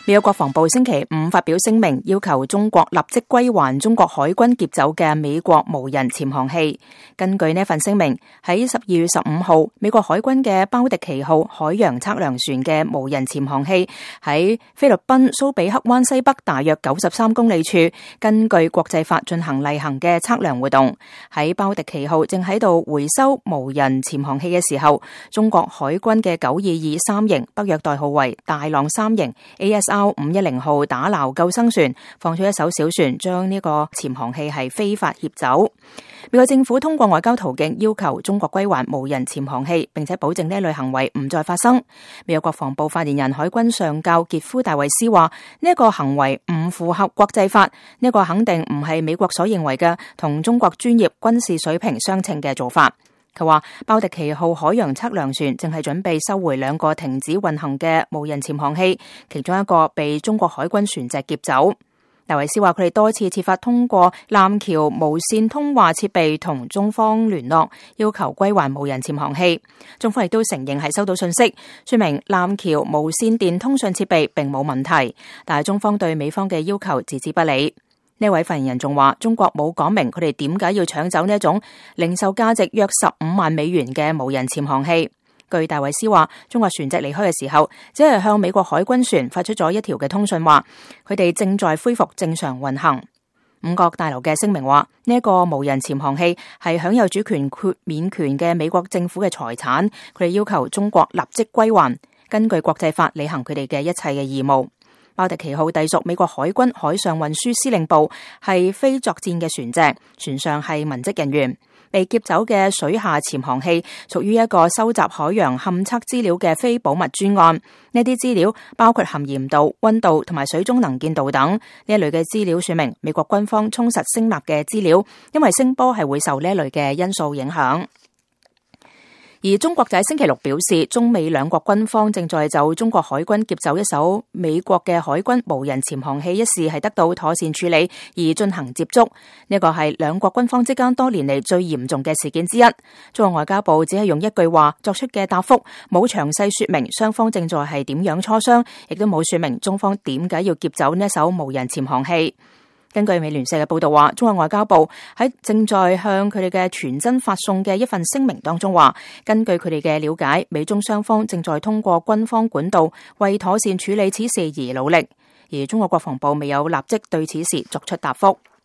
美國國防部星期五發表聲明，要求中國立即歸還中國海軍劫走嘅美國無人潛航器。根據呢份聲明，喺12月15號，美國海軍嘅包迪奇號海洋測量船嘅無人潛航器喺菲律賓蘇比克灣西北大約93公里處，根據國際法進行例行嘅測量活動。喺包迪奇號正喺度回收無人潛航器嘅時候，中國海軍嘅922三型北約代號為大浪3型 ASR510號打撈救生船放出一艘小船，將呢個潛航器係非法挾走。美國政府通過外交途徑要求中國歸還無人潛航器，並且保證呢類行為唔再發生。美國國防部發言人海軍上校傑夫戴維斯話：呢一個行為唔符合國際法，呢個肯定唔係美國所認為嘅同中國專業軍事水平相稱嘅做法。佢話包迪奇號海洋測量船正係準備收回2個停止運行嘅無人潛航器，其中一個被中國海軍船隻劫走。戴維斯話佢哋多次設法通過艦橋無線通話設備同中方聯絡，要求歸還無人潛航器。中方亦都承認係收到信息，說明艦橋無線電通訊設備並冇問題，但係中方對美方嘅要求置之不理。呢位發言人仲話，中國冇講明佢哋點解要搶走呢一種零售價值約15萬美元嘅無人潛航器。據戴維斯話，中國船隻離開嘅時候，只係向美國海軍船發出咗一條嘅通訊，話佢哋正在恢復正常運行。五角大樓嘅聲明話，呢一個無人潛航器係享有主權豁免權嘅美國政府嘅財產，佢哋要求中國立即歸還，根據國際法履行佢哋嘅一切嘅義務。包迪奇號隸屬美國海軍海上運輸司令部，係非作戰嘅船隻，船上係文職人員。被劫走嘅水下潛航器屬於一個收集海洋勘測資料嘅非保密專案，呢啲資料包括含鹽度、溫度同埋水中能見度等。呢一類嘅資料說明美國軍方充實聲納嘅資料，因為聲波係會受呢一類嘅因素影響。而中國就喺星期六表示，中美兩國軍方正在就中國海軍劫走一艘美國嘅海軍無人潛航器一事係得到妥善處理而進行接觸。呢個係兩國軍方之間多年嚟最嚴重嘅事件之一。中國外交部只係用一句話作出嘅答覆，冇詳細說明雙方正在係點樣磋商，亦都冇說明中方點解要劫走呢一艘無人潛航器。根據美聯社嘅報道話，中國外交部喺正在向佢哋嘅傳真發送嘅一份聲明當中話，根據佢哋嘅了解，美中雙方正在通過軍方管道為妥善處理此事而努力，而中國國防部未有立即對此事作出答覆。